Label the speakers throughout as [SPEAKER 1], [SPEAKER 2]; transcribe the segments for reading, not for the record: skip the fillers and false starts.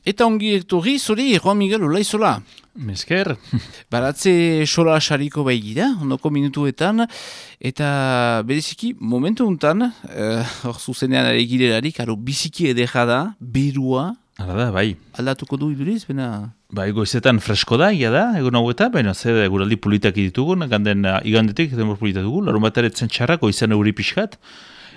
[SPEAKER 1] Eta ongi etorri, zori, Juan Miguel Olaizola.
[SPEAKER 2] Mesker.
[SPEAKER 1] Baratze sola sariko baigira, ondoko minutuetan, eta bereziki momentu untan, hor zuzenean ere girelarik, biziki edera da, berua.
[SPEAKER 2] Hala da, bai.
[SPEAKER 1] Aldatuko du iduriz, bena?
[SPEAKER 2] Bai, goizetan fresko da, ia da, egun hauetan, baina zer guraldi politak ditugun, igandetik, demor politak dugu, larun bat eretzen txarrak, goizan euri pixkat.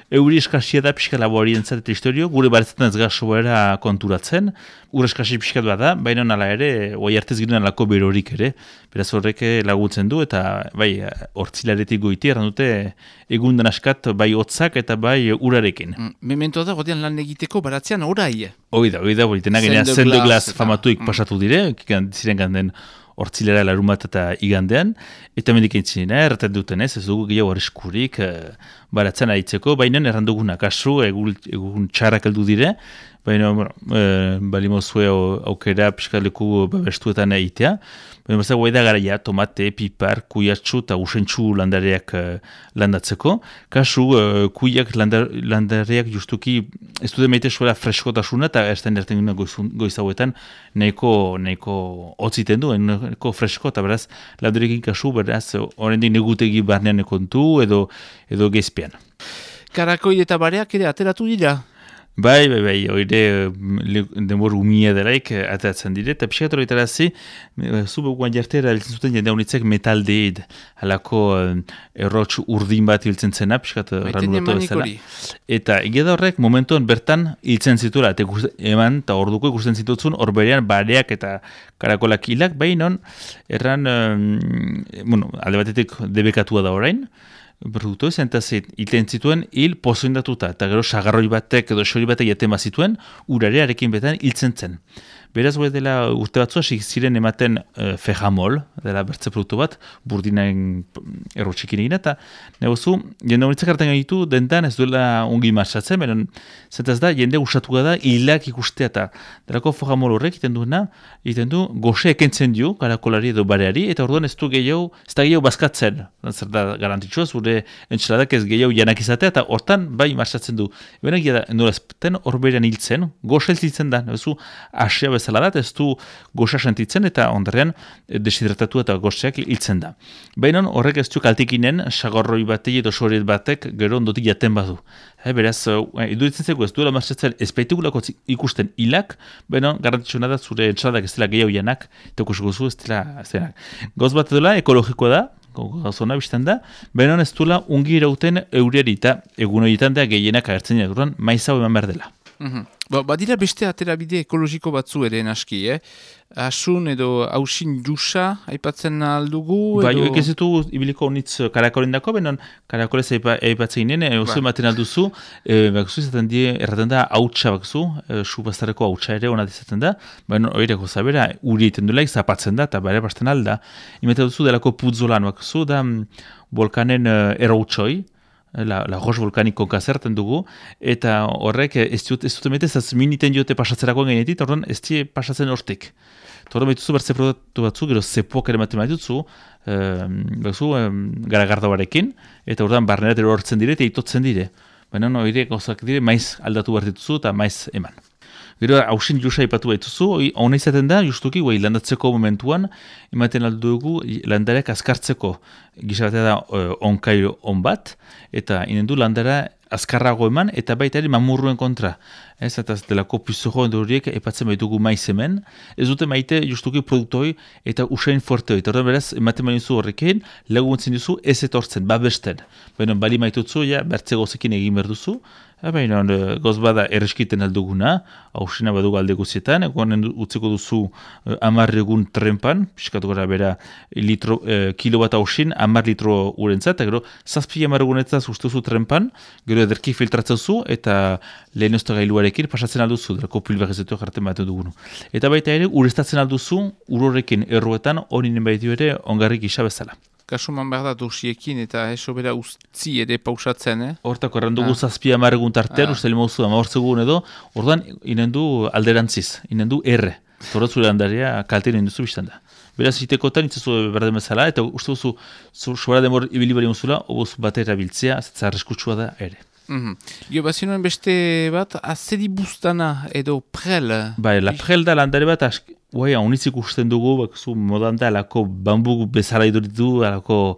[SPEAKER 2] Euri eskasia da pixka laborien eta historio, gure baretzetan ez gasoera konturatzen, gure eskasi pixkat bada, baina nala ere, oai artez ginen alako berorik ere, beraz horrek laguntzen du, eta bai, hortzilaretik goiti, erran dute, egundan askat bai hotzak eta bai urarekin.
[SPEAKER 1] Memento da, godean lan egiteko baratzean orai.
[SPEAKER 2] Oida, bolitena genean Sendeglas famatuik pasatu dire, ziren ganden hortzilera larun bat eta igandean, eta mendik entzinen, erraten duten ez dugu gehiago arriskurik baratzen aritzeko, baina erranduguna kasu, egun txarrak heldu dire, baina balimozue aukera piskaleku babestuetan egitea, baina bazak guai da garaia, tomate, pipar, kuiatxu eta usentxu landareak landatzeko, kasu kuiak landareak justuki ez dute meite suela freskotasuna eta erten goizauetan nahiko hotziten du, nahiko fresko eta beraz landarekin kasu beraz horrendik negutegi barnean kontu edo gezpean.
[SPEAKER 1] Karakoi eta bareak ere ateratu dira?
[SPEAKER 2] Bai, oire denbor umia delaik ateratzen dire, eta pixkat horretarazi, zubeguan jartera hiltzen zuten jende honitzek metaldeed, halako errotx urdin bat hiltzen zena, pixkat ranulatu bezala. Eta egeda horrek momentuan bertan hiltzen zituela, eta eman, eta orduko ikusten zitutzen, hor berean bareak eta karakolak hilak, behinon, erran, alde batetik debekatua da orain, produktu izan eta iten zituen hil pozoindatuta, eta gero sagarroi batek edo xori batek jaten bazituen, urarearekin betan hiltzen zen. Beraz, dela urte batzua, ziren ematen fejamol, dela bertze produktu bat, burdinaen errotxikin egin, eta negozu, jende honitzak hartan gaitu, dentan ez duela ongi marxatzen, beren, zentaz da, jende usatuko da, hilak ikustea, eta delako fejamol horrek iten du, goxe ekentzen dio, karakolari edo bareari, eta orduan ez da gehiago bazkatzen, zer da garantitxoa, zure entxeladak ez gehiago janak izatea, eta hortan bai marxatzen du. Ebena gira da, nolazten horberean hiltzen, goxe hiltzen da, negozu, asia bezala da, ez du goxa sentitzen eta ondarrean deshidratatu eta goxeak hiltzen da. Baina horrek ez du kaltikinen sagorroi batei edo soriet batek gero ondotik jaten badu. Beraz, iduritzen zeko ez duela marxatzen ezpaitigulako ikusten hilak, baina garantitxuna da zure entxaladak ez dela gehiago janak, eta ikusiko zu ez dela. Goz bat edola ekologikoa da, gauzona biztan da, baina ez duela ungi irauten euriari eta egun horietan da gehienak agertzen duran maizau eman behar dela.
[SPEAKER 1] Badira beste aterabide ekologiko batzu ere naski, Asun edo hausin jusa aipatzen aldugu?
[SPEAKER 2] Bai, ez ditu ibiliko honitz karakolendako, benon karakolez aipatzen ginen, oso ematen alduzu, izaten die, erraten da hautsa bakzu, subaztareko hautsa ere hona dizaten da, baina hori gozabera, uri egiten duela, zapatzen da, eta bare basten alda. Imetan duzu delako putzolan bakzu, da volkanen errautxoi, la roche volkaniko kazerten dugu, eta horrek ez dute metez, ez miniten diote pasatzerakoan gainetit, orduan ez die pasatzen hortik. Torren behituzu bertze produktu batzu, gero zepoak ere maten behitutzu, garagarda barekin, eta orduan barnerat ero hortzen dire, eta itotzen dire. Baina hori gauzak dire, maiz aldatu behar dituzu eta maiz eman. Gero hausin jusa ipatu baituzu, hona izaten da, justuki, landatzeko momentuan, ematen aldugu landareak azkartzeko gizabatea da onkai on bat, eta inendu landara azkarrago eman, eta baita ere mamurruen kontra. Ez, eta delako pizojo horiek epatzen baitugu maiz hemen, ez dute maite justuki produktoi eta usain forte hori. Eta beraz, ematen bainizu horrekin, laguntzen duzu ez etortzen, babesten. Baina bali maitutzu, bertze gozekin egin behar duzu, baina goz bada erreskiten alduguna, hausina badugu alde guzietan, egonen utzeko duzu 10 egun trenpan, piskatu gara bera kilo bat hausin, 10 litro urentzat, eta gero 7 egunetzat ustezu trenpan, gero ederki filtratzezu, eta lehen gailuarekin pasatzen alduzu, delako pilbagezetu jarten bat dugunu. Eta baita ere, urestatzen alduzu, urorekin erruetan, honinen baitu ere, ongarrik isa bezala.
[SPEAKER 1] Kasuman behar da dosiekin eta esobera ustzi ere pausatzen,
[SPEAKER 2] Hortako errandugu 7 egun tartean, uste limozu 14 egun edo, orduan inendu alderantziz, inendu erre. Torratzure handarea kaltean induzu biztan da. Beraz, itekotan itzazu berden bezala, eta uste duzu, sobera demor ibili bari muzula, obuz batera biltzea, zetza arriskutsua da ere.
[SPEAKER 1] Gio, bazinuen beste bat, azeri bustana edo prel.
[SPEAKER 2] Bai, la prel da landare bat, unitzik usten dugu, modan da, alako bambu bezala iduritu, alako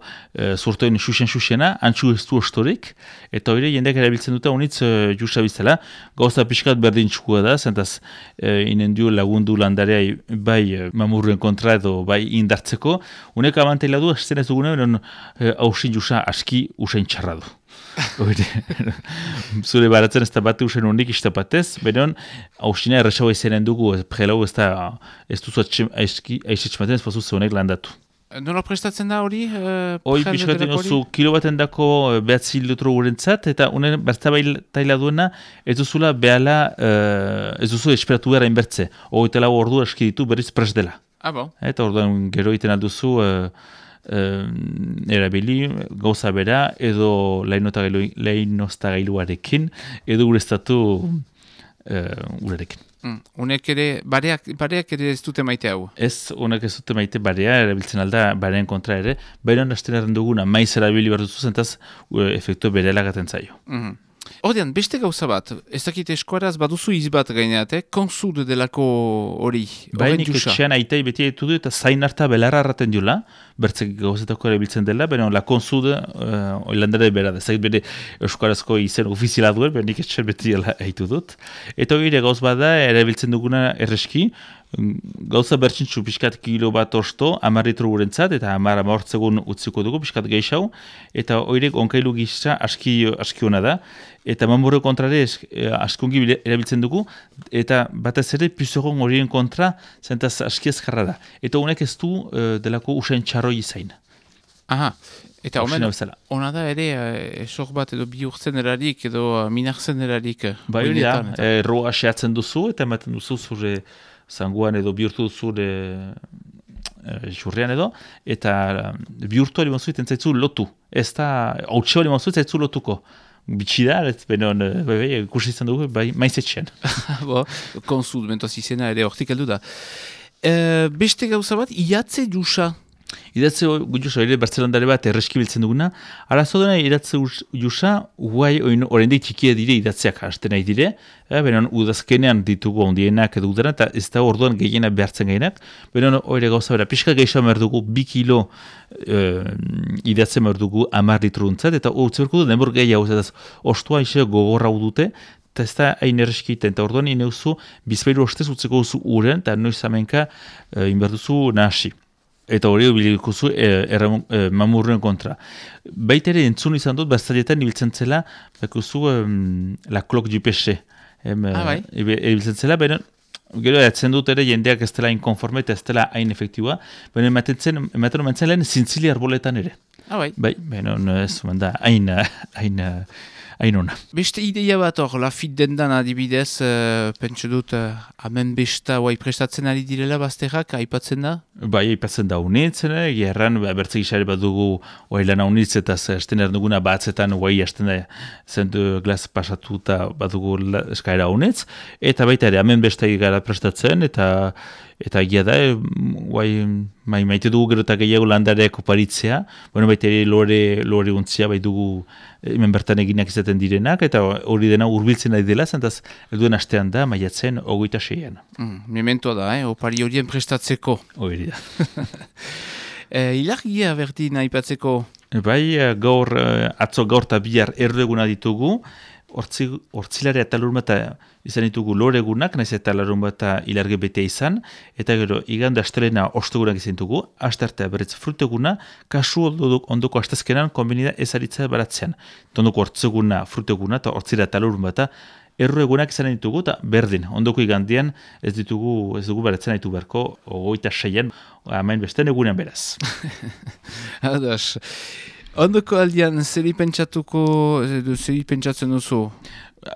[SPEAKER 2] zurtoen xuxen-xuxena, antxu ez du ostorik, eta hori jendeak erabiltzen dute unitz justa biztela, gauza pixkat berdin txukua da, zentaz inendio lagundu landarea bai mamurren kontra edo bai indartzeko, unek abantaila du, esten ez dugune, hausin justa aski usain txarra du. Zure baratzen ez da bate usen honik istapatez, benon hausina erresaua izanen dugu, prelau ez duzu aizetxematen ez pasu zeunek landatu.
[SPEAKER 1] Nola prestatzen da hori?
[SPEAKER 2] Hoi pixkaten oso kilo baten dako behatzi litro gurentzat, eta unen bertabaila duena ez duzula behala, ez duzu esperatu gara inbertze. Hogeita lau ordu aski ditu berriz prest dela.
[SPEAKER 1] Bon.
[SPEAKER 2] Eta orduan gero iten alduzu erabili gauza bera edo leheinoztagailuarekin edo ureztatu urarekin.
[SPEAKER 1] Unek ere, bareak ere ez dute maite hau?
[SPEAKER 2] Ez, unek ez dute maite barea, erabiltzen alda bareen kontra ere, baina hasten erren duguna, maiz erabili behar duzu zentaz efektu bere elagaten zaio.
[SPEAKER 1] Ordean, beste gauza bat, ez dakit eskuaraz baduzu izbat gaineat, konsud delako hori,
[SPEAKER 2] horren jusa. Etxean aitai beti etu du eta zain harta belarra arraten diola, bertzek gauzetako erabiltzen dela, baina la konsud oilandare bera, ezagit bere eskuarazko izen ofiziala duen, baina nik etxean beti haitu dut. Eta hori gauz bada, erabiltzen duguna erreski, gauza bertxintxu pixkat kilo bat osto, 10 litro gurentzat, eta 10 amortzegun utziko dugu, pixkat geixau, eta horrek onkailu gizta aski hona da, eta mamurre kontrare askungi erabiltzen dugu, eta batez ere pizogon horien kontra zentaz aski ezkarra da. Eta honek ez du delako usain txarroi izain.
[SPEAKER 1] Aha, eta ona da ere esok bat edo bihurtzen erarik edo minartzen erarik.
[SPEAKER 2] Bai hori da, roa seatzen duzu, eta ematen duzu zure zanguan edo bihurtu zure jurrean edo, eta bihurtu hori mazuiten zaitzu lotu. Ez da, hautxe hori mazuiten zaitzu lotuko. Bitxida, benon, kursi izan dugu, maizetxean.
[SPEAKER 1] Konsud, mentoaz izena ere hortik heldu da. Beste gauza bat, iatze jusa.
[SPEAKER 2] Idatze jusa, ere Bartzelandare bat erreski biltzen duguna. Arazo dena idatze jusa, guai horrendik txikia dire idatzeak hasten nahi dire. Benon, udazkenean ditugu ondienak edo udara, eta ez da orduan gehiena behartzen gainak. Benon, hori gauza bera, pixka gehiago behar dugu 2 kilo idatzen behar dugu 10 litro untzat, eta urtze berko du, denbor gehiago, eta ostua iso gogorra dute, eta ez da hain erreskiten, eta orduan ineuzu bizpailu ostez utzeko duzu uren, eta noiz amenka inberduzu nahasi. Eta hori bilikuzu mamurren kontra. Baita ere entzun izan dut, bastalietan ibiltzen zela, bakuzu la clock du peche. Ibiltzen zela, baina gero edatzen dut ere jendeak ez dela inkonforme eta ez dela hain efektiua, baina ematen omentzen lehen zintzili arboletan ere.
[SPEAKER 1] Bai,
[SPEAKER 2] baina ez da hain ona.
[SPEAKER 1] Beste ideia bat hor, Lafit dendan adibidez, pentsu dut, hemen besta prestatzen ari direla bazterrak, aipatzen da?
[SPEAKER 2] Bai, aipatzen da unitzen, gerran, bertzek isare bat dugu lan unitz eta esten erduguna batzetan hasten da zendu glas pasatu eta bat dugu eskaera unitz, eta baita ere, hemen besta gara prestatzen, eta egia da, maite dugu gero eta gehiago landareak oparitzea, baita ere lore untzia, bai dugu hemen bertan eginak izaten direnak, eta hori dena hurbiltzen ari dela, zentaz, elduen astean da, maiatzen 26an.
[SPEAKER 1] Mementoa da, opari horien prestatzeko.
[SPEAKER 2] Hori da.
[SPEAKER 1] Ilargia berdin aipatzeko?
[SPEAKER 2] Bai, atzo gaur eta bihar erreguna ditugu, hortzilarea eta lurma eta izan ditugu loregunak, nahiz eta larun bat ilarge betea izan, eta gero igande astelena ostegunak izan ditugu, astartea berriz fruteguna, kasu ondoko astazkenan konbenida ezaritza baratzean. Ondoko hortzeguna, fruteguna eta hortzilea eta lurun bat erregunak izan ditugu, eta berdin, ondoko igandean ez dugu baratzen ditu beharko, 26an, amain besten egunean beraz.
[SPEAKER 1] Adas. Ondoko aldian, zeri pentsatzen duzu?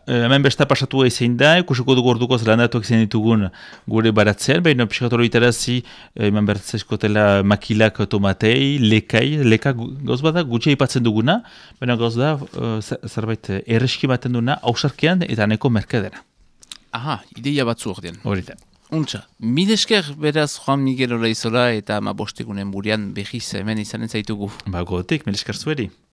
[SPEAKER 2] Hemen besta pasatu ezin da, ikusiko dugu ordukoz landatuak izan ditugun gure baratzean, baina pixkatoro itarazi, hemen bertzeskotela makilak tomatei, leka gauz bada gutxia ipatzen duguna, baina gauz da, zerbait erreski baten duna, hausarkean eta neko merkadera.
[SPEAKER 1] Aha, ideia batzu ordean.
[SPEAKER 2] Hori da.
[SPEAKER 1] Untxa, milesker beraz Juan Miguel Olaizola eta 15 burian behiz hemen izanen zaitugu.
[SPEAKER 2] Gotik, milesker zueri.